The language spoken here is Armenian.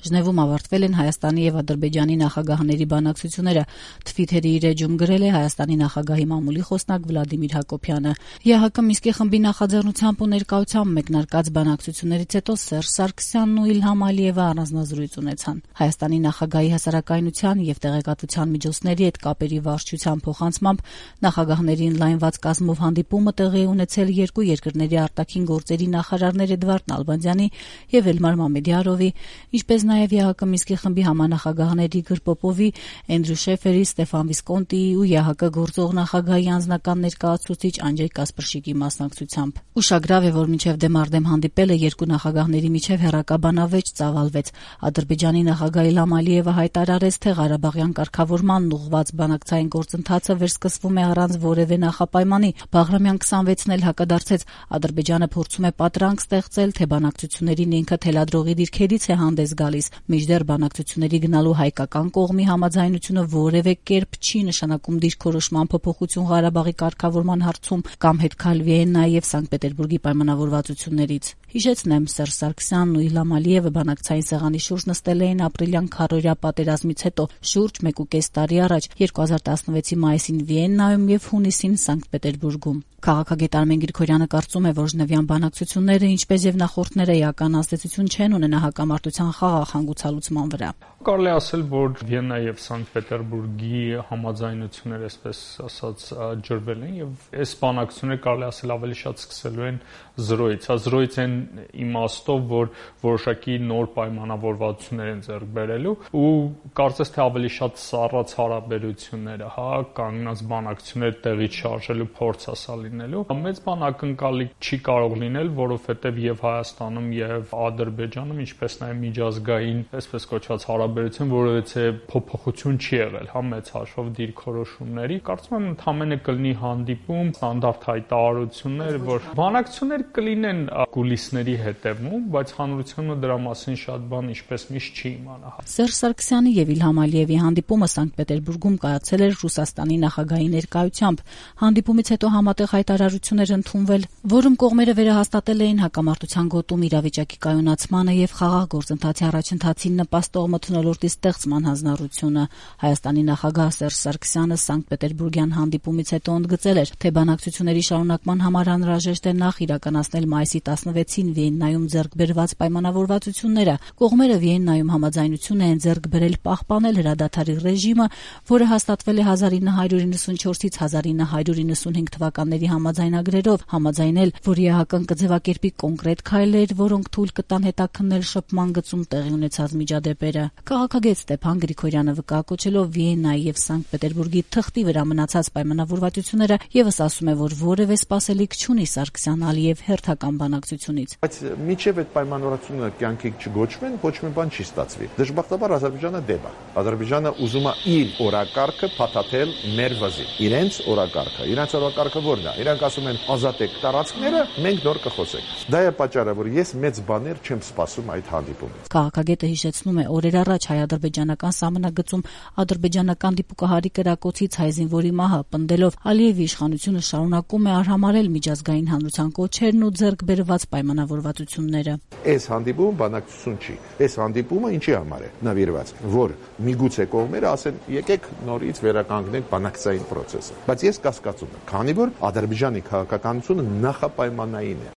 Ժնևում ավարտվել են Հայաստանի եւ Ադրբեջանի նախագահների բանակցությունները, Թվիթերի իր էջում գրել է Հայաստանի նախագահի մամուլի խոսնակ Վլադիմիր Հակոբյանը։ ԵՀԿ Մինսկի խմբի նախաձեռնությամբ ու ներկայությամբ մեկնարկած բանակցություններից հետո Սերժ Սարգսյանն ու Իլհամ Ալիևը առանձնազրույց ունեցան։ Հայաստանի նախագահի հասարակայնության եւ տեղեկատվության միջոցների հետ կապերի վարչության փոխանցմամբ նախագահների ընդլայնված կազմով հանդիպումը տեղի ունեցել երկու երկրների արտաքին գործերի նախարարներ Էդվարդ Նալբանդյանի եւ Էլմար Մամեդյարովի, ինչպես նաեւ ԵՀԿ Մինսկի խմբի համանախագահների Իգոր Պոպովի, Էնդրյու Շեֆերի, Ստեֆան Վիսկոնտիի ու ԵՀԿ գործող նախագահի անձնական ներկայացուցիչ Անջեյ Կասպրշիկի մասնակցությամբ։ Ուշագրավ է, որ մինչև դեմարդեմ հանդիպելը երկու նախագահների միջև հեռակաբանավեճ ծավալվեց։ Ադրբեջանի նախագահ Իլհամ Ալիևը հայտարարեց, թե Ղարաբաղյան կարգավորման ուղղված բանակցային գործընթացը վերսկսվում է առանց որևէ նախապայմանի։ Բաղրամյան 26-ն էլ հակադարձեց, Ադրբեջանը փորձում է պատրանք ստեղծել, թե բանակցություններին ինքը թելադրողի դիրքերից է հանդես գալիս, մինչդեռ բանակցությունների գնալու հայկական կողմի համաձայնությունը որևէ կերպ չի նշանակում դիրքորոշման փոփոխություն Ղարաբաղի կարգավորման հարցում կամ հետքալ Վիեննայի եւ Սանկտ Պետերբուրգի պայմանավորվածություններից։ Հիշեցնեմ, Սերժ Սարգսյանն ու Իլհամ Ալիևը բանակցային սեղանի շուրջ նստել էին ապրիլյան քառօրյա պատերազմից հետո շուրջ 1.5 տարի առաջ 2016-ի մայիսին Վիեննայում եւ հունիսին Սանկտ Պետերբուրգում։ Քաղաքագետ Արմեն Գրիգորյանը կարծում է, որ ժնևյան բանակցությունները, ինչպես եւ նախորդները, էական ազդեցություն չեն ունենա հակամարտության խաղաղ հանգուցալուծման վրա։ Կարելի ասել, որ Վիեննայի եւ Սանկտ Պետերբուրգի համաձայնությունները, այսպես ասած, ջրվել են եւ այս բանակցությունները կարելի ասել ավելի շատ սկսելու են զրոյից, զրոյից են իմաստով, որ որոշակի նոր պայմանավորվածություններ են ձեռք բերելու ու կարծես թե ավելի շատ սառած հարաբերությունները, կանգնած բանակցություններ տեղի չարժելու փորձ ասա լինելու։ Մեծ բան ակնկալի չի կարող լինել, որովհետեւ եւ Հայաստանում եւ Ադրբեջանում, ինչպես նաեւ միջազգային, այսպես կոչված հարաբերություն, որովհետեւ փոփոխություն չի եղել, մեծ հաշվով դիրքորոշումների։ Կարծում եմ ընդհանրապես կլինի հանդիպում, ստանդարտ հայտարարություններ, որ բանակցություններ կլինեն կուլիսների հետևում, բայց հանրությունը դրա մասին շատ բան ինչպես միշտ չի իմանա։ Սերժ Սարգսյանի եւ Իլհամ Ալիևի հանդիպումը Սանկտ Պետերբուրգում կայացել էր Ռուսաստանի նախագահի ներկայությամբ։ Հանդիպումից հետո համատեղ հայտարարություն էր ընդունվել, որում կողմերը վերահաստատել էին հակամարտության գոտում իրավիճակի կայունացմանը եւ խաղաղ գործընթացի առաջընթացին նպաստող մթնոլորտի ստեղծման հանձնառությունը։ Հայաստանի նախագահ Սերժ Սարգսյանը Սանկտ Պետերբուրգյան հանդիպումից հետո ընդգծել էր, թե բանակցությունների շարունակման համար անհրաժեշտ է նախ իրականացնել մայիսի 16-ին Վիեննայում ձեռք բերված պայմանավորվածությունները։ Կողմերը Վիեննայում համաձայնություն են ձեռք բերել պահպանել հրադադարի ռեժիմը, որը հաստատվել է 1994-ից 1995 թվականների համաձայնագրերով, համաձայնել, որ ԵՀԿ-ն կձևակերպի կոնկրետ քայլեր, որոնք թույլ կտան հետաքննել շփման գծում տեղի ունեցած միջադեպերը։ Քաղաքագետ Ստեփան Գրիգորյանը վկայակոչելով Վիեննայի եւ Սանկտ Պետերբուրգի թղթի վրա մնացած պայմանավորվածությունները եւս ասում է, որ որևէ սպասելիք չունի Սարգսյան-Ալիև հերթական բանակցությունից։ Բայց մինչև այդ պայմանավորվածությունը կյանքի չգոչվեն, ոչ մի բան չի ստացվի։ Դժբախտաբար Ադրբեջանը դեպ է։ Ադրբեջանը ուզում է իր օրակարգը փաթաթել մեր վզի։ Իրենց օրակարգը որն է։ Իրանք ասում են ազատեք տարածքները, մենք նոր կխոսենք։ Դա է պատճառը, որ ես մեծ բաներ չեմ սպասում այդ հանդիպումից։ Քաղաքագետը հիշեցնում է, օրեր առաջ հայ-ադրբեջանական սահմանագծում ադրբեջանական դիպուկահարի կրակոցից հայ զինվորի մահը պնդելով Ալիևի իշխանությունը շարունակում է արհամարհել միջազգային հանրության կոչերն ու ձեռք բերված պայմանավորվածությունները։ Այս հանդիպումը բանակցություն չի։ Այս հանդիպումը ինչի համար է նվիրված, որ միգուցե կողմերը ասեն եկեք նորից վերականգնենք բանակցային process-ը։ Բայց ես կասկածում եմ, քանի որ Ադրբեջանի քաղաքականությունը նախապայմանային է։